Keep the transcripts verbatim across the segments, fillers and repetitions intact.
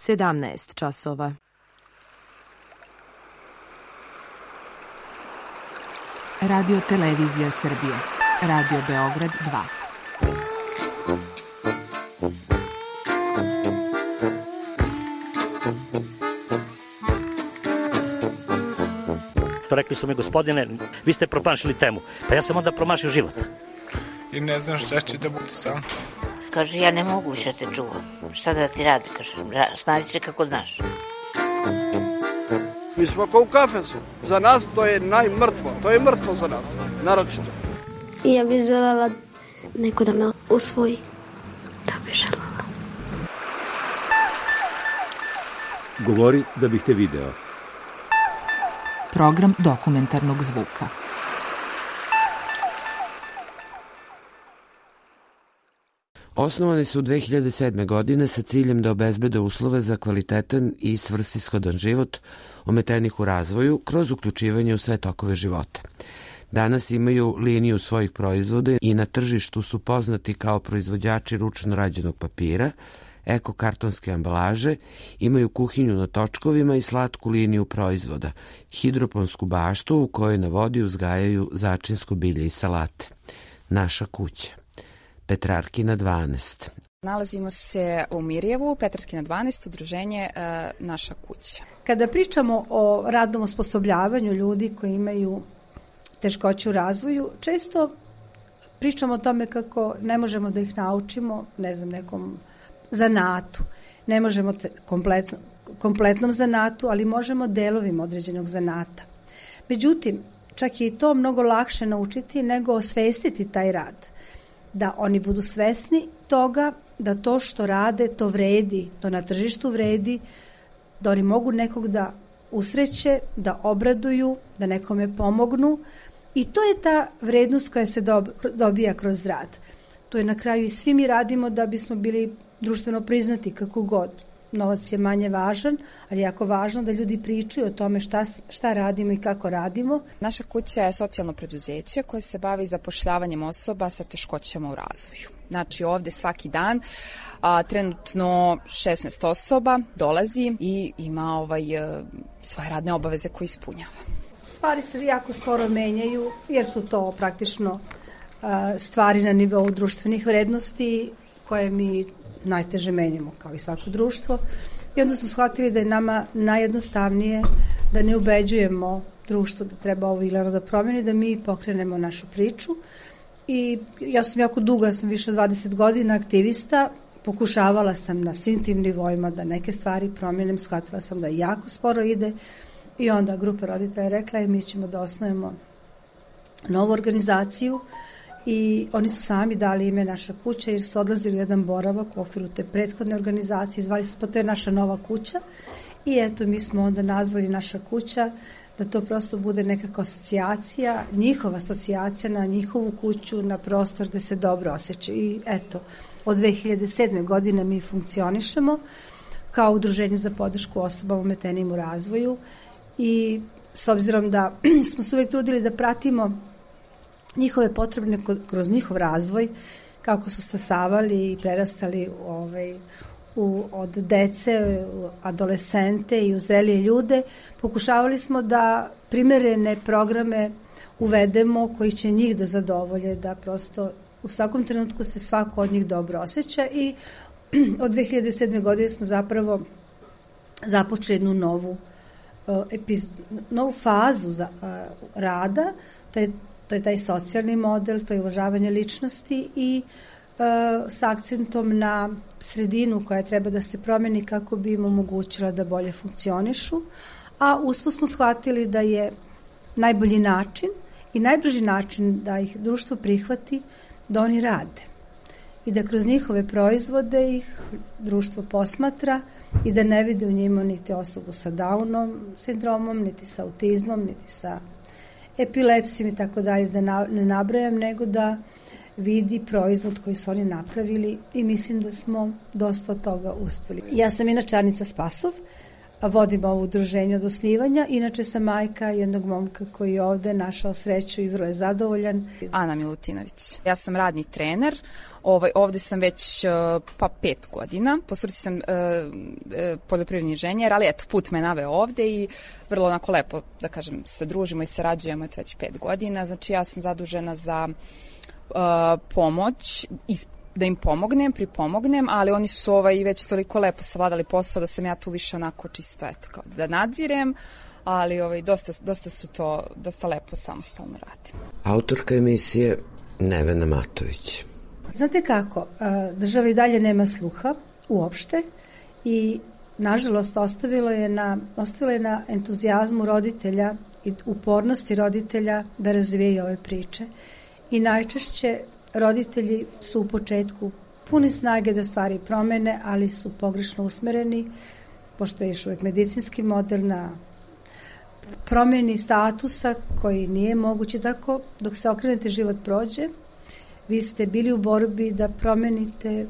sedamnaest časova. Radio Televizija Srbije. Radio Beograd dva. Rekli su mi, gospodine, vi ste promašili temu. Pa ja sam onda promašio život. I ne znam šta će da bude sam. Kaže, ja ne mogu više te čuvam. Šta da ti radi, kaže, snađi se kako znaš. Mi smo kao u kafesu. Za nas to je najmrtvo. To je mrtvo za nas, naročito. I ja bih želela neko da me usvoji. Da bih želela. Govori da bih te video. Program dokumentarnog zvuka. Osnovani su dve hiljade sedme. godine sa ciljem da obezbede uslove za kvalitetan i svrsishodan život ometenih u razvoju kroz uključivanje u sve tokove života. Danas imaju liniju svojih proizvoda i na tržištu su poznati kao proizvođači ručno rađenog papira, eko-kartonske ambalaže, imaju kuhinju na točkovima i slatku liniju proizvoda, hidroponsku baštu u kojoj na vodi uzgajaju začinsko bilje i salate. Naša kuća. Petrarkina dvanaest. Nalazimo se u Mirjevu, Petrarkina dvanaest, udruženje e, Naša kuća. Kada pričamo o radnom osposobljavanju ljudi koji imaju teškoće u razvoju, često pričamo o tome kako ne možemo da ih naučimo, ne znam, nekom zanatu. Ne možemo kompletno, kompletnom zanatu, ali možemo delovima određenog zanata. Međutim, čak je i to mnogo lakše naučiti nego osvestiti taj rad. Da oni budu svesni toga da to što rade, to vredi, to na tržištu vredi, da oni mogu nekog da usreće, da obraduju, da nekome pomognu i to je ta vrednost koja se dobija kroz rad. To je na kraju i svi mi radimo da bismo bili društveno priznati kako god. Novac je manje važan, ali jako važno da ljudi pričaju o tome šta, šta radimo i kako radimo. Naša kuća je socijalno preduzeće koje se bavi zapošljavanjem osoba sa teškoćama u razvoju. Znači ovde svaki dan a, trenutno šesnaest osoba dolazi i ima ovaj, a, svoje radne obaveze koje ispunjava. Stvari se jako sporo menjaju jer su to praktično a, stvari na nivou društvenih vrednosti koje mi najteže menjamo kao i svako društvo i onda smo shvatili da je nama najjednostavnije da ne ubeđujemo društvo da treba ovo ili ono da promeni, da mi pokrenemo našu priču i ja sam jako dugo, ja sam više od dvadeset godina aktivista, pokušavala sam na svim tim nivoima da neke stvari promenim, shvatila sam da jako sporo ide i onda grupa roditelja rekla je mi ćemo da osnovimo novu organizaciju i oni su sami dali ime Naša kuća jer su odlazili u jedan boravak u okviru te prethodne organizacije, zvali su pa to je naša nova kuća i eto mi smo onda nazvali Naša kuća da to prosto bude nekakva asocijacija, njihova asocijacija na njihovu kuću, na prostor gde se dobro osjećaju i eto od dve hiljade sedme. godine mi funkcionišemo kao udruženje za podršku osobama ometenim u razvoju i s obzirom da smo se uvek trudili da pratimo njihove potrebe kroz njihov razvoj, kako su stasavali i prerastali ovaj, u, od dece, u adolescente i u zrelije ljude, pokušavali smo da primerene programe uvedemo koji će njih da zadovolje, da prosto u svakom trenutku se svako od njih dobro osjeća i od dve hiljade sedme. godine smo zapravo započeli jednu novu, uh, epiz, novu fazu za, uh, rada, to je To je taj socijalni model, to je uvažavanje ličnosti i e, s akcentom na sredinu koja treba da se promeni kako bi im omogućila da bolje funkcionišu, a usput smo shvatili da je najbolji način i najbrži način da ih društvo prihvati da oni rade i da kroz njihove proizvode ih društvo posmatra i da ne vide u njima niti osobu sa Downom sindromom, niti sa autizmom, niti sa epilepsijom i tako dalje, da ne nabrajam, nego da vidi proizvod koji su oni napravili i mislim da smo dosta od toga uspeli. Ja sam inače Anica Spasov, vodim ovo udruženje od osnivanja. Inače sam majka jednog momka koji je ovde našao sreću i vrlo je zadovoljan. Ana Milutinović. Ja sam radni trener. Ovaj, ovde sam već pa pet godina. Po struci sam e, e, poljoprivredni inženjer, ali eto, put me naveo ovde i vrlo onako lepo, da kažem, se družimo i sarađujemo eto već pet godina. Znači ja sam zadužena za e, pomoć i da im pomognem, pripomognem, ali oni su ovaj već toliko lepo savladali posao da sam ja tu više onako čisto eto, kao da nadzirem, ali ovaj, dosta, dosta su to, dosta lepo samostalno radim. Autorka emisije Nevena Matović. Znate kako, država i dalje nema sluha uopšte i nažalost ostavilo je na, ostavilo je na entuzijazmu roditelja i upornosti roditelja da razvijaju ove priče. I najčešće roditelji su u početku puni snage da stvari promene, ali su pogrešno usmereni, pošto je još uvijek medicinski model na promjeni statusa koji nije moguće. Tako, dok se okrenete, život prođe. Vi ste bili u borbi da promenite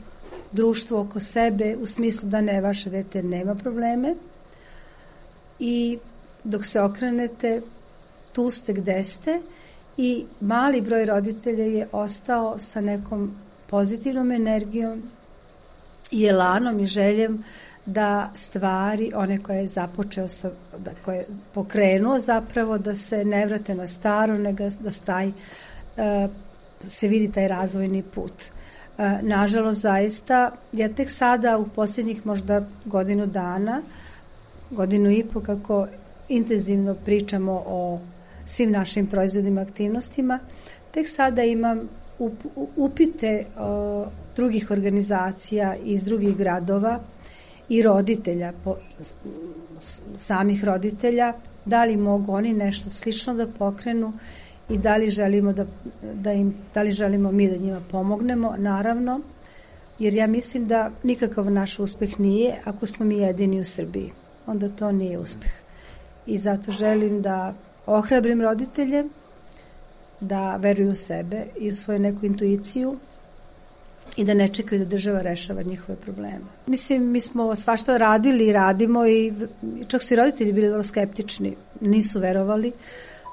društvo oko sebe u smislu da ne, vaše dete nema probleme i dok se okrenete, tu ste gde ste i mali broj roditelja je ostao sa nekom pozitivnom energijom i elanom i željem da stvari, one koje je započeo, sa, da, koje je pokrenuo zapravo, da se ne vrate na staro, nego da staj, uh, se vidi taj razvojni put. Uh, nažalost, zaista, ja tek sada u posljednjih možda godinu dana, godinu i po kako intenzivno pričamo o svim našim proizvodima, aktivnostima, tek sada imam up, upite uh, drugih organizacija iz drugih gradova i roditelja, po, samih roditelja, da li mogu oni nešto slično da pokrenu i da li želimo da, da im, da li želimo mi da njima pomognemo, naravno, jer ja mislim da nikakav naš uspeh nije ako smo mi jedini u Srbiji. Onda to nije uspeh. I zato želim da ohrabrim roditelje da veruju u sebe i u svoju neku intuiciju i da ne čekaju da država rešava njihove probleme. Mislim, mi smo svašta radili i radimo i čak su i roditelji bili vrlo skeptični, nisu verovali,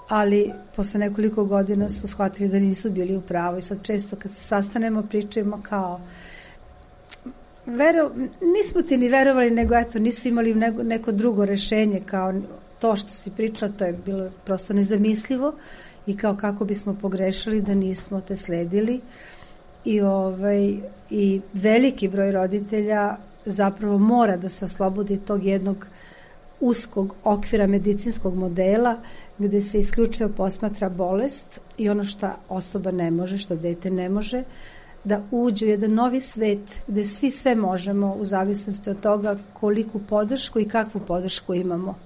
ali posle nekoliko godina su shvatili da nisu bili u pravu i sad često kad se sastanemo pričamo kao vero, nismo ti ni verovali, nego eto nisu imali neko, neko drugo rešenje, kao to što si pričala, to je bilo prosto nezamislivo i kao kako bismo pogrešili da nismo te sledili. I, ovaj, i veliki broj roditelja zapravo mora da se oslobodi tog jednog uskog okvira medicinskog modela gde se isključivo posmatra bolest i ono što osoba ne može, što dete ne može, da uđe u jedan novi svet gde svi sve možemo u zavisnosti od toga koliku podršku i kakvu podršku imamo.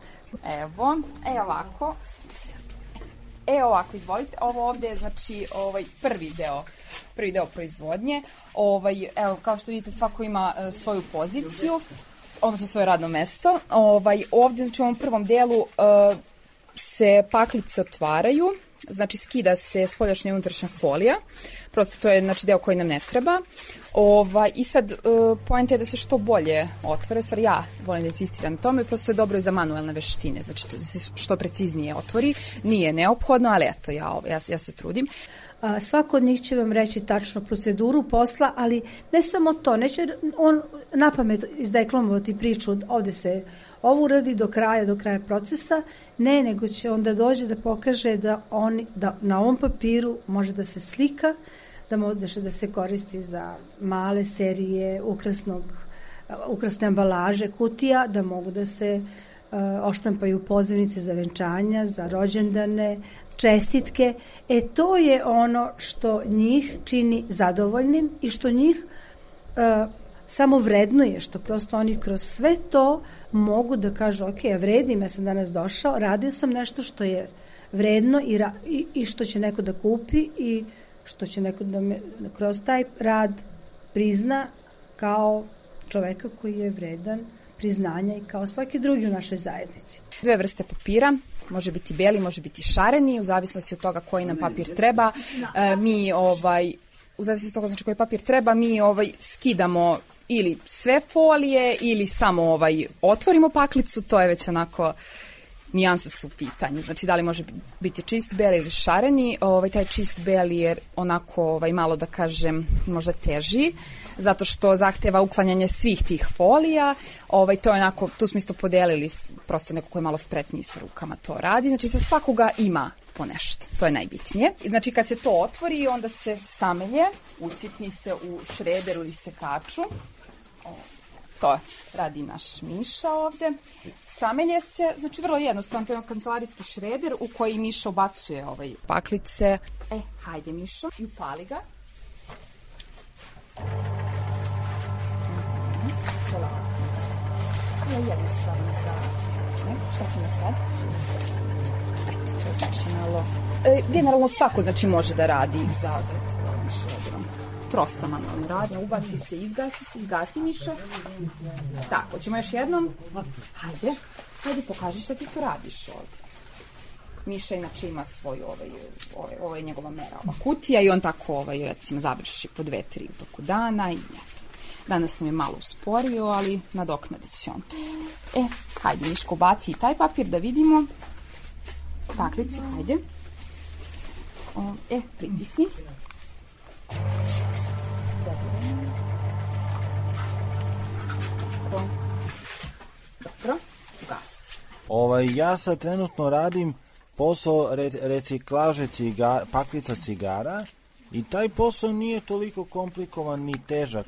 Evo, e ovako, e ovako, izvolite, ovo ovde je znači ovaj prvi deo, prvi deo proizvodnje, ovaj, evo, kao što vidite svako ima uh, svoju poziciju, odnosno svoje radno mesto, ovaj, ovde znači u ovom prvom delu uh, se paklice otvaraju, znači skida se spoljašnja i unutrašnja folija, prosto to je znači deo koji nam ne treba. Ovaj, i sad uh, poenta je da se što bolje otvore, stvar ja volim da insistiram na tome, prosto je dobro i za manuelne veštine, znači da se što preciznije otvori, nije neophodno, ali eto ja, ja, ja se trudim. A, svako od njih će vam reći tačno proceduru posla, ali ne samo to, neće on napamet izdeklamovati priču, ovde se ovo uradi do kraja, do kraja procesa, ne, nego će onda dođe da pokaže da, oni, da na ovom papiru može da se slika, da može da se koristi za male serije ukrasnog, ukrasne ambalaže, kutija, da mogu da se uh, oštampaju pozivnice za venčanja, za rođendane, čestitke. E to je ono što njih čini zadovoljnim i što njih uh, samo vrednuje, što prosto oni kroz sve to mogu da kažu ok, ja vredim, ja sam danas došao, radio sam nešto što je vredno i, ra, i, i što će neko da kupi i što će neko da me kroz taj rad prizna kao čoveka koji je vredan priznanja i kao svaki drugi u našoj zajednici. Dve vrste papira, može biti beli, može biti šareni, u zavisnosti od toga koji nam papir treba. E, mi ovaj u zavisnosti od toga znači koji papir treba, mi ovaj skidamo ili sve folije ili samo ovaj otvorimo paklicu, to je već onako nijanse su u pitanju. Znači, da li može biti čist beli ili šareni. Ovaj, taj čist beli je onako ovaj, malo, da kažem, možda teži, zato što zahteva uklanjanje svih tih folija. Ovaj, to je onako, tu smo isto podelili, prosto neko ko je malo spretniji sa rukama to radi. Znači, za svakoga ima po nešto. To je najbitnije. Znači, kad se to otvori, onda se samelje, usitni se u šrederu ili sekaču. To radi naš Miša ovde. Samelje se, znači vrlo jednostavno, to je kancelarijski šreder u koji Miša ubacuje ovaj paklice. E, hajde Mišo, i upali ga. To je jednostavno za... Ne, šta će nas sad? Eto, to je znači malo... E, generalno svako, znači, može da radi za ovim šrederom. Prosta manualna radnja, ubaci se, izgasi se, izgasi Mišo. Tako, ćemo još jednom. Hajde, hajde pokaži šta ti tu radiš ovdje. Miša inače ima svoj, ovaj, ovaj, ovaj njegova mera, ova kutija i on tako, ovaj, recimo, završi po dve, tri u toku dana i eto. Danas nam je malo usporio, ali nadoknadit će on. E, hajde Miško, baci i taj papir da vidimo. Paklicu, hajde. O, e, pritisni. Dobro, gas. Ovaj, ja sad trenutno radim posao re, reciklaže cigara, paklica cigara i taj posao nije toliko komplikovan ni težak.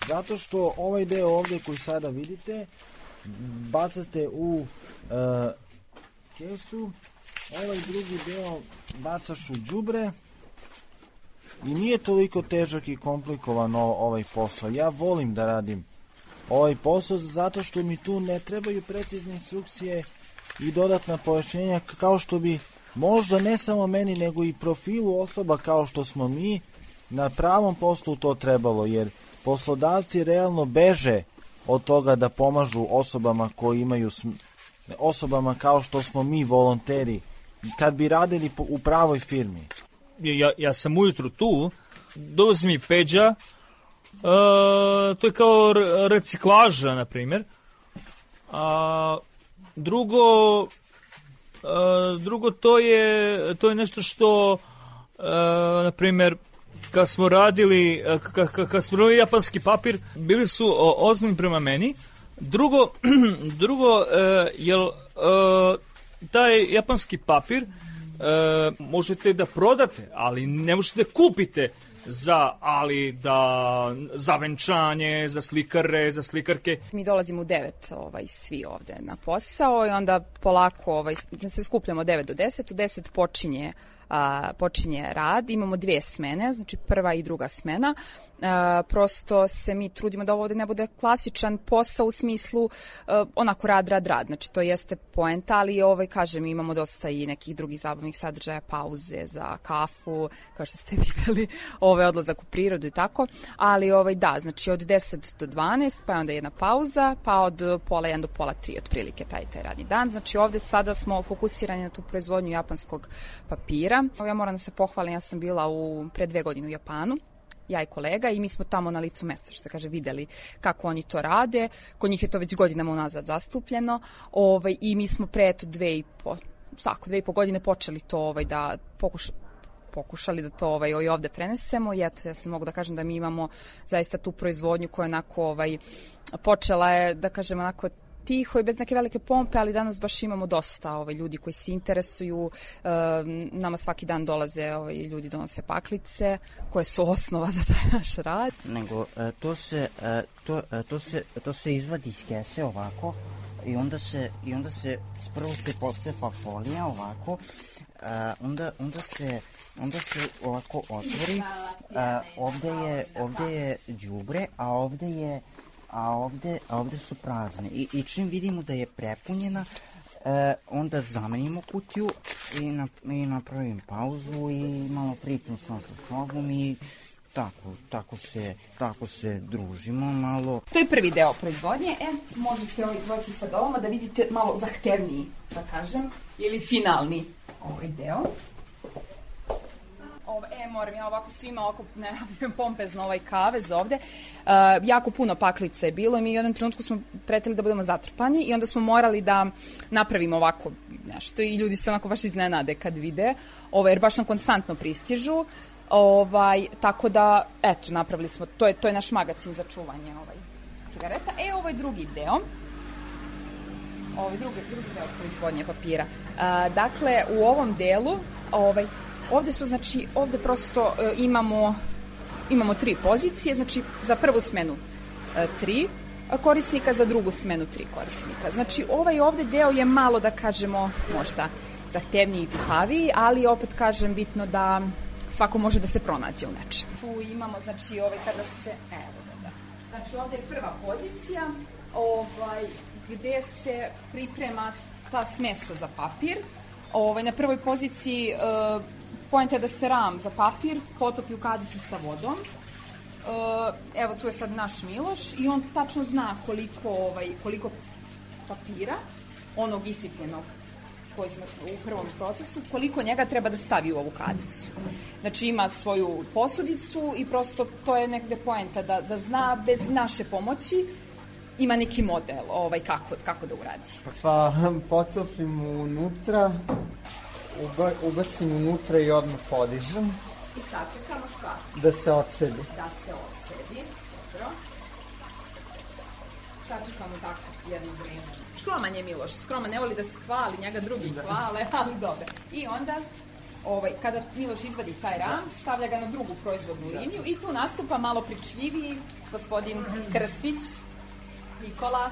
Zato što ovaj deo ovdje koji sada vidite bacate u uh, kesu, ovaj drugi deo bacaš u đubre i nije toliko težak i komplikovan ovaj posao. Ja volim da radim ovaj posao zato što mi tu ne trebaju precizne instrukcije i dodatna pojašnjenja kao što bi možda ne samo meni nego i profilu osoba kao što smo mi na pravom poslu to trebalo, jer poslodavci realno beže od toga da pomažu osobama koji imaju osobama kao što smo mi volonteri kad bi radili u pravoj firmi. Ja, ja sam ujutru tu, dolazi mi Peđa, uh, to je kao reciklaža, na primjer. A drugo, uh, drugo to je, to je nešto što, uh, na primjer, kad smo radili, kad, kad smo radili japanski papir, bili su ozbiljni prema meni. Drugo, drugo uh, jel, uh, taj japanski papir uh, možete da prodate, ali ne možete da kupite za, ali da, za venčanje, za slikare, za slikarke. Mi dolazimo u devet ovaj, svi ovde na posao i onda polako ovaj, se skupljamo devet do deset, u deset počinje A, počinje rad, imamo dvije smene, znači prva i druga smena. A, prosto se mi trudimo da ovo ovde ne bude klasičan posao u smislu a, onako rad, rad, rad. Znači to jeste poenta, ali ovaj, kažem, imamo dosta i nekih drugih zabavnih sadržaja, pauze za kafu, kao što ste videli, ovaj odlazak u prirodu i tako. Ali ovaj, da, znači od deset do dvanaest, pa onda jedna pauza, pa od pola jedan do pola tri, otprilike taj, taj radni dan. Znači ovde sada smo fokusirani na tu proizvodnju japanskog papira. Ja moram da se pohvalim, ja sam bila u, pre dve godine u Japanu, ja i kolega, i mi smo tamo na licu mesta, što se kaže, videli kako oni to rade. Kod njih je to već godinama unazad zastupljeno, ovaj, i mi smo pre eto dve i po, svako dve i po godine počeli to ovaj, da pokušamo pokušali da to ovaj, ovde prenesemo i eto, ja sam mogu da kažem da mi imamo zaista tu proizvodnju koja onako ovaj, počela je, da kažem, onako tiho i bez neke velike pompe, ali danas baš imamo dosta ovaj, ljudi koji se interesuju. E, nama svaki dan dolaze ovaj, ljudi, donose paklice koje su osnova za taj naš rad. Nego e, to se e, to, e, to se to se izvadi iz kese ovako i onda se i onda se prvo se pocepa folija ovako, e, onda onda se onda se ovako otvori. E, ovde je ovde je đubre, a ovde je a ovde, a ovde su prazne. I, i čim vidimo da je prepunjena, e, onda zamenimo kutiju i, na, i napravim pauzu i malo pričam sam sa sobom i tako, tako se, tako se družimo malo. To je prvi deo proizvodnje. E, možete ovaj proći sa doma da vidite malo zahtevniji, da kažem, ili finalni ovaj deo. Ovo, e, moram ja ovako svima ovako najavljujem pompezno ovaj kavez ovde. Uh, jako puno paklica je bilo i mi u jednom trenutku smo pretili da budemo zatrpani i onda smo morali da napravimo ovako nešto i ljudi se onako baš iznenade kad vide, ovo, jer baš nam konstantno pristižu. Ovaj, tako da, eto, napravili smo, to je, to je naš magacin za čuvanje ovaj, cigareta. E, ovo je drugi deo. Ovaj drugi, drugi deo proizvodnje papira. A, dakle, u ovom delu, ovaj, ovde su, znači, ovde prosto e, imamo, imamo tri pozicije, znači, za prvu smenu e, tri korisnika, za drugu smenu tri korisnika. Znači, ovaj ovde deo je malo, da kažemo, možda zahtevniji i pihaviji, ali opet kažem, bitno da svako može da se pronađe u nečem. Tu imamo, znači, ovaj kada se, evo da, da. Znači, ovde je prva pozicija, ovaj, gde se priprema ta smesa za papir. Ovaj, na prvoj poziciji e, poenta je da se ram za papir potopi u kadicu sa vodom. E, evo, tu je sad naš Miloš i on tačno zna koliko, ovaj, koliko papira, onog isipljenog koji smo u prvom procesu, koliko njega treba da stavi u ovu kadicu. Znači, ima svoju posudicu i prosto to je negde poenta da, da zna bez naše pomoći ima neki model ovaj, kako, kako da uradi. Pa potopim unutra, uba, ubacim unutra i odmah podižem. I sad čekamo šta? Da se odsedi. Da se odsedi, dobro. Sad čekamo tako jedno vreme. Skroman je Miloš, skroman, ne voli da se hvali, njega drugi hvale, ali dobro. I onda, ovaj, kada Miloš izvadi taj ram, stavlja ga na drugu proizvodnu liniju i tu nastupa malo pričljiviji gospodin Krstić, Nikola.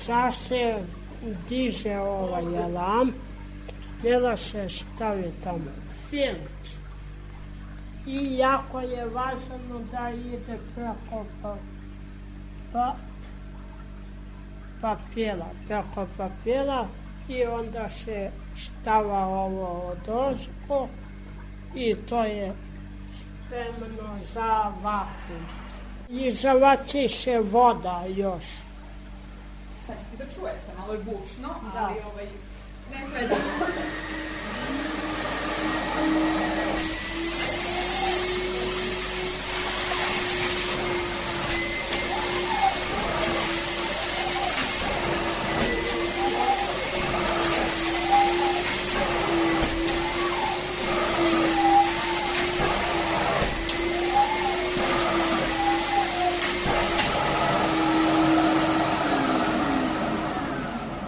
Sad se diže ovaj alarm, Miloš se stavi tamo filč. I jako je važno da ide preko pa, pa, papira, preko papira i onda se stava ovo odozgo i to je spremno za vakuum. I zavači se voda još. Sad ćete da čujete, malo je bučno, ali da. Ovaj, ne predano.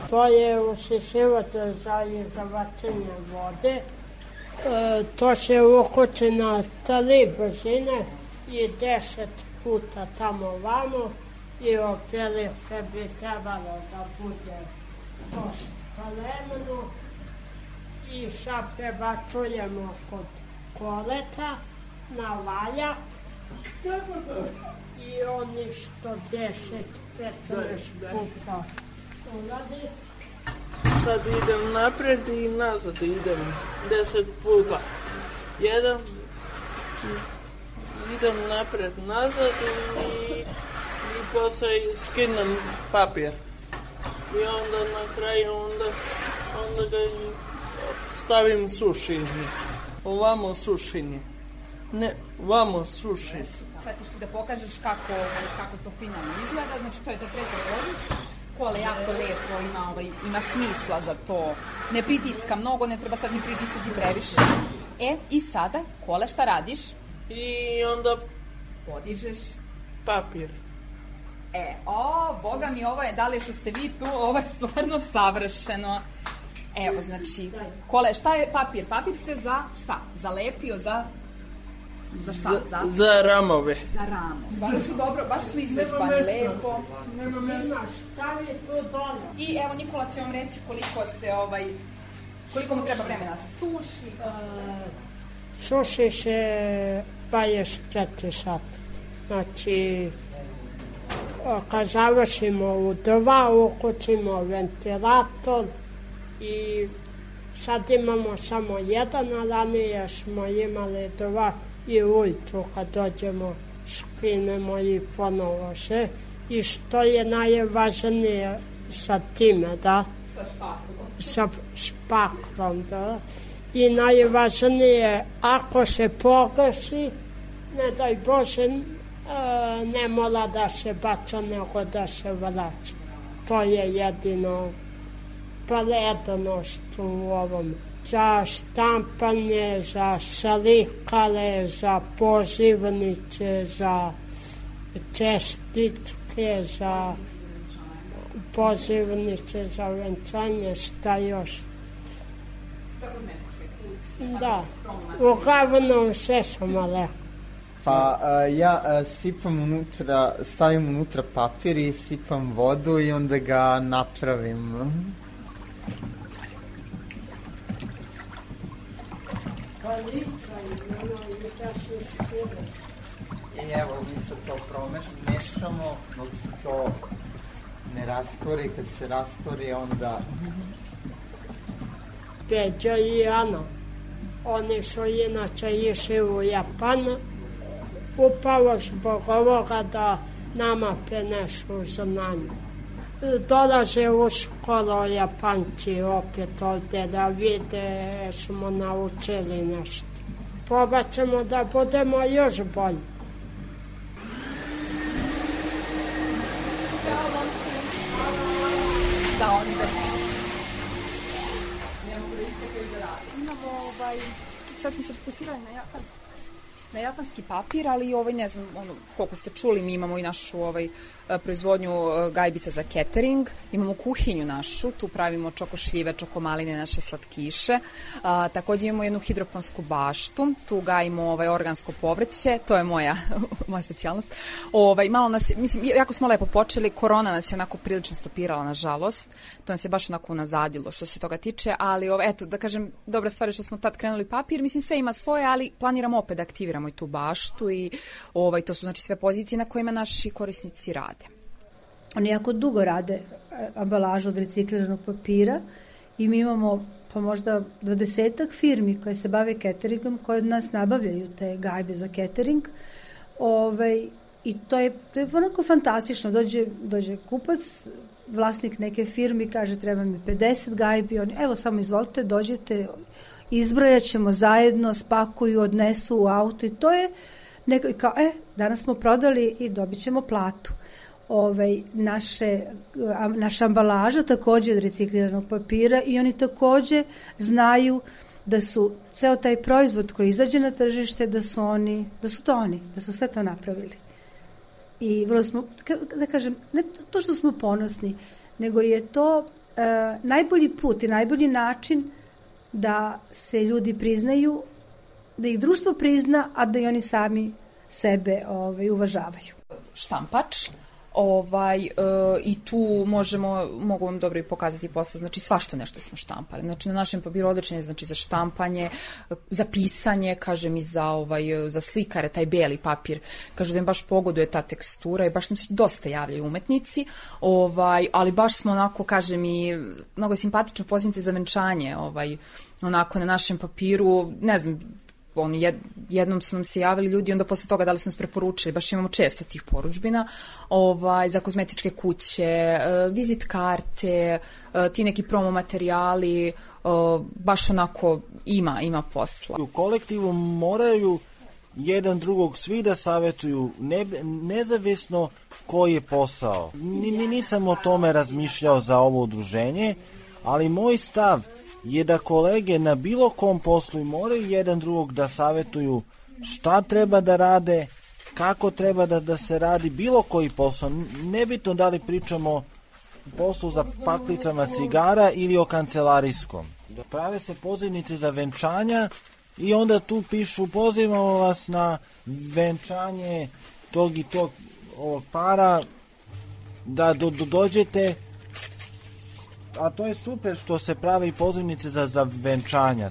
To je usisivatelj za izavačenje vode. E, to se ukoči na tri brzine i deset puta tamo vamo i oprilike bi trebalo da bude dosta vremeno i sad prebacujemo kod koleta na valjak i oni što deset petnaest puta uradi. Sad idem napred i nazad idem deset puta. Jedan, idem napred nazad i, i posle skinem papir. I onda na kraju onda, onda ga stavim sušenje. Ovamo sušenje. Ne, ovamo sušenje. Sad ćeš ti da pokažeš kako, kako to finalno izgleda. Znači, to je ta treća pozicija. Kole jako lepo, ima, ovaj, ima smisla za to. Ne pritiska mnogo, ne treba sad ni pritisati previše. E, i sada, Kole, šta radiš? I onda podižeš papir. E, o, boga mi, ovo je, da li što ste vi tu, ovo je stvarno savršeno. Evo, znači, Kole, šta je papir? Papir se za šta? Zalepio za... Za šta? Za, za? za ramove. Za rame. Stvarno su dobro, baš su izvežbani, lepo. Nema mesta, stavi to dole. I evo, Nikola će vam reći koliko se, ovaj, koliko mu treba vremena se suši. Uh, suši se dvadeset četiri sata. Znači, kad završimo u dva, ukucimo ventilator i sad imamo samo jedan, a ranije smo imali dva i ujutru kad dođemo skinemo i ponovo se. I što je najvažnije sa time, da? Sa špaklom. Sa špaklom, da. i najvažnije, ako se pogreši, ne daj Bože, ne mora da se baca, nego da se vraća. To je jedino prednost u ovom. Za štampanje, za slikare, za pozivnice, za čestitke, za pozivnice, za venčanje, šta još? Da, uglavnom sve sam rekao. Pa uh, ja uh, sipam unutra, stavim unutra papir i sipam vodu i onda ga napravim. I evo, mi se to promešamo, dok se to ne rastvori, kad se rastvori onda... Peđa i Ana, oni su inače išli u Japan, upravo zbog ovoga da nama prenešu znanje. Dolaze uskoro Japanci opet ovde da vide, smo naučili nešto. Probaćemo da budemo još bolji. Da, oni da... Imamo ovaj... Sad smo se fokusirali na japanski. Na japanski papir, ali ovaj, ne znam, ono, koliko ste čuli, mi imamo i našu ovaj, proizvodnju gajbica za catering, imamo kuhinju našu, tu pravimo čokošljive, čokomaline, naše slatkiše, a, također imamo jednu hidroponsku baštu, tu gajimo ovaj, organsko povrće, to je moja, moja specijalnost. Ovaj, malo nas, mislim, jako smo lepo počeli, korona nas je onako prilično stopirala, nažalost, to nas je baš onako unazadilo što se toga tiče, ali ovaj, eto, da kažem, dobra stvar je što smo tad krenuli papir, mislim, sve ima svoje, ali planiramo opet da aktiviramo i tu baštu i ovaj, to su znači sve pozicije na kojima naši korisnici rade. Oni jako dugo rade ambalažu od recikliranog papira i mi imamo pa možda dvadesetak firmi koje se bave cateringom, koje od nas nabavljaju te gajbe za catering. Ovaj, I to je, to je onako fantastično. Dođe, dođe kupac, vlasnik neke firme, kaže treba mi pedeset gajbi, oni, evo samo izvolite, dođete, izbrojat ćemo zajedno, spakuju, odnesu u auto i to je neko, kao, e, danas smo prodali i dobit ćemo platu. Ovaj, naše, naša ambalaža također od recikliranog papira i oni također znaju da su ceo taj proizvod koji izađe na tržište, da su oni, da su to oni, da su sve to napravili. I vrlo smo, da kažem, ne to što smo ponosni, nego je to uh, najbolji put i najbolji način da se ljudi priznaju, da ih društvo prizna, a da i oni sami sebe ovaj, uvažavaju. Štampač, ovaj, e, i tu možemo, mogu vam dobro i pokazati posle, znači svašta nešto smo štampali. Znači na našem papiru odličan je znači, za štampanje, za pisanje, kažem i za, ovaj, za slikare, taj beli papir, kažu da im baš pogoduje ta tekstura i baš nam se dosta javljaju umetnici, ovaj, ali baš smo onako, kažem i mnogo simpatično pozivnice za venčanje, ovaj, onako na našem papiru, ne znam, on, jed, jednom su nam se javili ljudi, onda posle toga da li su nas preporučili, baš imamo često tih poručbina, ovaj, za kozmetičke kuće, vizit karte, ti neki promo materijali, baš onako ima, ima posla. U kolektivu moraju jedan drugog svi da savjetuju, ne, nezavisno koji je posao. N, nisam o tome razmišljao za ovo udruženje, ali moj stav je da kolege na bilo kom poslu moraju jedan drugog da savjetuju šta treba da rade, kako treba da, da se radi bilo koji posao. Nebitno da li pričamo o poslu za paklicama cigara ili o kancelarijskom. Prave se pozivnice za venčanja i onda tu pišu pozivamo vas na venčanje tog i tog ovog para, da do, do, dođete. A to je super što se prave i pozivnice za, za venčanja.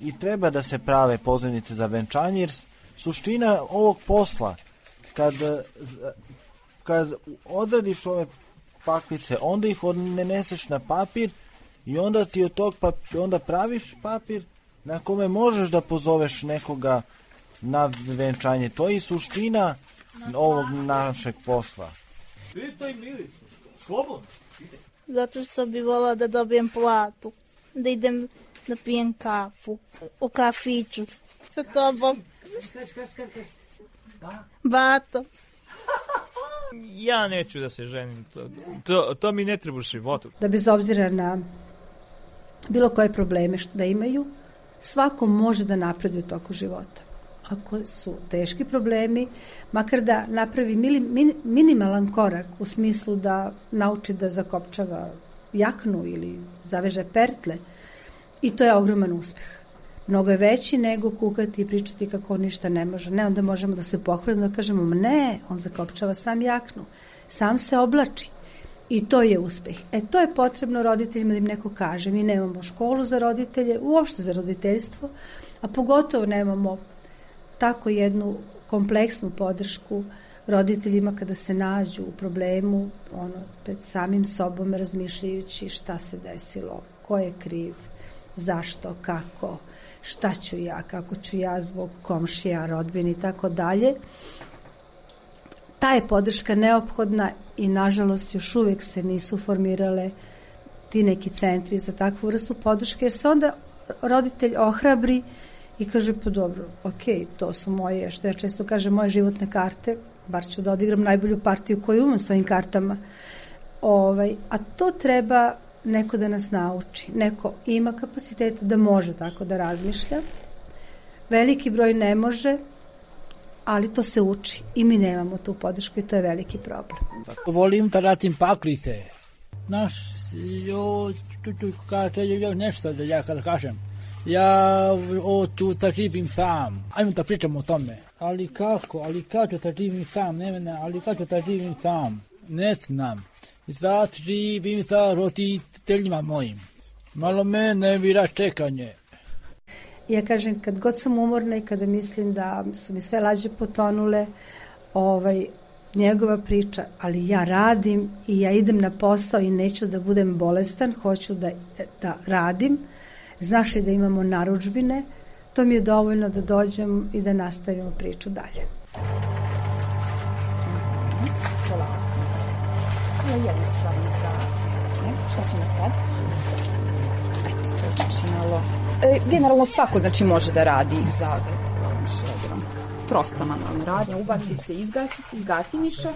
I treba da se prave pozivnice za venčanje, jer suština ovog posla, kad, kad odradiš ove paklice, onda ih odneseš na papir i onda ti od tog papira, onda praviš papir na kome možeš da pozoveš nekoga na venčanje. To je suština ovog našeg posla. Pitaj Milicu, slobodno. Zato što bi volao da dobijem platu, da idem da pijem kafu u kafiću sa tobom. Bato. Ja neću da se ženim, to, to, to mi ne treba u životu. Da bez obzira na bilo koje probleme što da imaju, svako može da napreduje u toku života. Ako su teški problemi, makar da napravi mili, min, minimalan korak u smislu da nauči da zakopčava jaknu ili zaveže pertle, i to je ogroman uspeh. Mnogo je veći nego kukati i pričati kako on ništa ne može. Ne, onda možemo da se pohvalimo, da kažemo, ne, on zakopčava sam jaknu, sam se oblači. I to je uspeh. E, to je potrebno roditeljima da im neko kaže. Mi nemamo školu za roditelje, uopšte za roditeljstvo, a pogotovo nemamo tako jednu kompleksnu podršku roditeljima kada se nađu u problemu, ono, pred samim sobom razmišljajući šta se desilo, ko je kriv, zašto, kako, šta ću ja, kako ću ja zbog komšija, rodbine i tako dalje. Ta je podrška neophodna i nažalost još uvijek se nisu formirale ti neki centri za takvu vrstu podrške, jer se onda roditelj ohrabri i kaže, pa dobro, ok, to su moje, što ja često kažem, moje životne karte, bar ću da odigram najbolju partiju koju umem s ovim kartama. Ovaj, a to treba neko da nas nauči. Neko ima kapaciteta da može tako da razmišlja. Veliki broj ne može, ali to se uči i mi nemamo tu podršku i to je veliki problem. Volim da radim paklice. Znaš, jo, tu, tu, kaže, jo, nešto da ja kada kažem. Ja o, tu da živim sam. Ajmo da pričamo o tome. Ali kako, ali kako da živim sam, ne mene, ali kako da živim sam. Ne znam. Sad živim sa roditeljima mojim. Malo me ne vira čekanje. Ja kažem, kad god sam umorna i kada mislim da su mi sve lađe potonule, ovaj, njegova priča, ali ja radim i ja idem na posao i neću da budem bolestan, hoću da, da radim. Znaš li da imamo narudžbine, to mi je dovoljno da dođem i da nastavimo priču dalje. Jednostavno za... Ne? Šta ćemo sad? Eto, to je znači malo... E, generalno svako znači može da radi zazad. Prosta manualna radnja, ubaci se, izgasi se, izgasi miša.